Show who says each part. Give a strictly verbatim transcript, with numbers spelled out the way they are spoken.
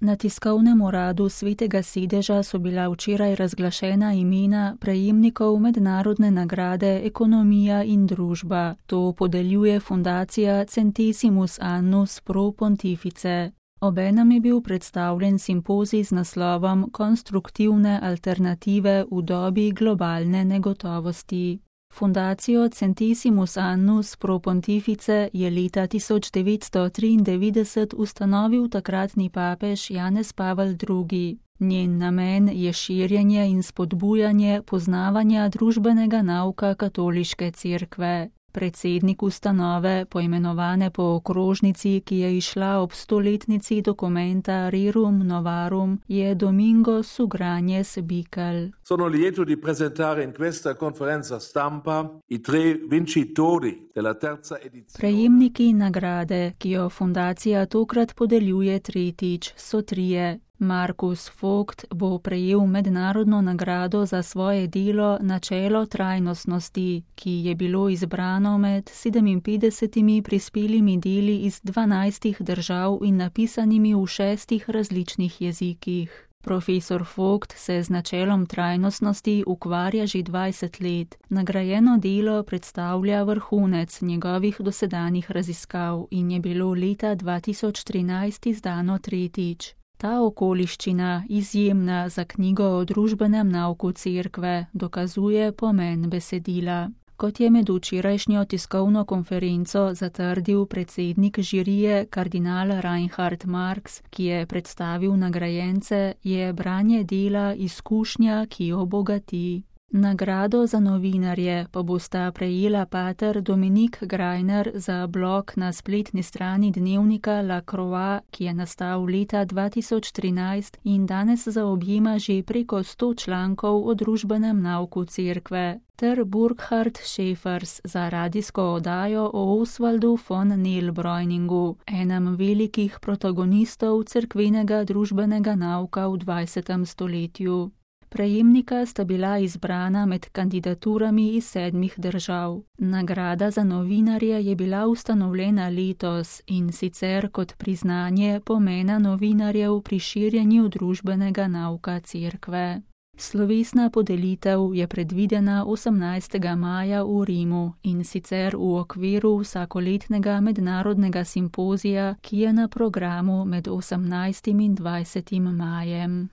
Speaker 1: Na tiskovnem uradu Svetega sedeža so bila včeraj razglašena imena prejemnikov mednarodne nagrade Ekonomija in družba. To podeljuje fundacija Centesimus Annus Pro Pontifice. Obenem je bil predstavljen simpozij z naslovom Konstruktivne alternative v dobi globalne negotovosti. Fundacijo Centesimus Annus Pro Pontifice je leta tisoč devetsto triindevetdeset ustanovil takratni papež Janez Pavel drugi. Njen namen je širjenje in spodbujanje poznavanja družbenega nauka katoliške cerkve. Predsednik ustanove, poimenovane po okrožnici, ki je izšla ob stoletnici dokumenta Rerum Novarum, je Domingo Sugrañez Bickel.
Speaker 2: Sono lieto di presentare in questa conferenza stampa i tre vincitori della terza edizione.
Speaker 1: Prejemniki nagrade, ki jo fundacija tokrat podeljuje tretjič, so trije. Markus Vogt bo prejel mednarodno nagrado za svoje delo Načelo trajnostnosti, ki je bilo izbrano med sedeminpetdesetimi prispelimi deli iz dvanajstih držav in napisanimi v šestih različnih jezikih. Profesor Vogt se z načelom trajnostnosti ukvarja že dvajset let. Nagrajeno delo predstavlja vrhunec njegovih dosedanjih raziskav in je bilo leta dva tisoč trinajst izdano tretjič. Ta okoliščina, izjemna za knjigo o družbenem nauku cerkve, dokazuje pomen besedila. Kot je med včerajšnjo tiskovno konferenco zatrdil predsednik žirije kardinal Reinhard Marx, ki je predstavil nagrajence, je branje dela izkušnja, ki obogati. Nagrado za novinarje pa bosta prejela pater Dominik Greiner za blog na spletni strani dnevnika La Croix, ki je nastal leta dva tisoč trinajst in danes zaobjema že preko sto člankov o družbenem nauku cerkve, ter Burkhard Schäfers za radijsko oddajo o Oswaldu von Neilbräuningu, enem velikih protagonistov cerkvenega družbenega nauka v dvajsetem stoletju. Prejemnika sta bila izbrana med kandidaturami iz sedmih držav. Nagrada za novinarje je bila ustanovljena letos in sicer kot priznanje pomena novinarjev pri širjenju družbenega nauka cerkve. Slovesna podelitev je predvidena osemnajstega maja v Rimu in sicer v okviru vsakoletnega mednarodnega simpozija, ki je na programu med osemnajstim in dvajsetim majem.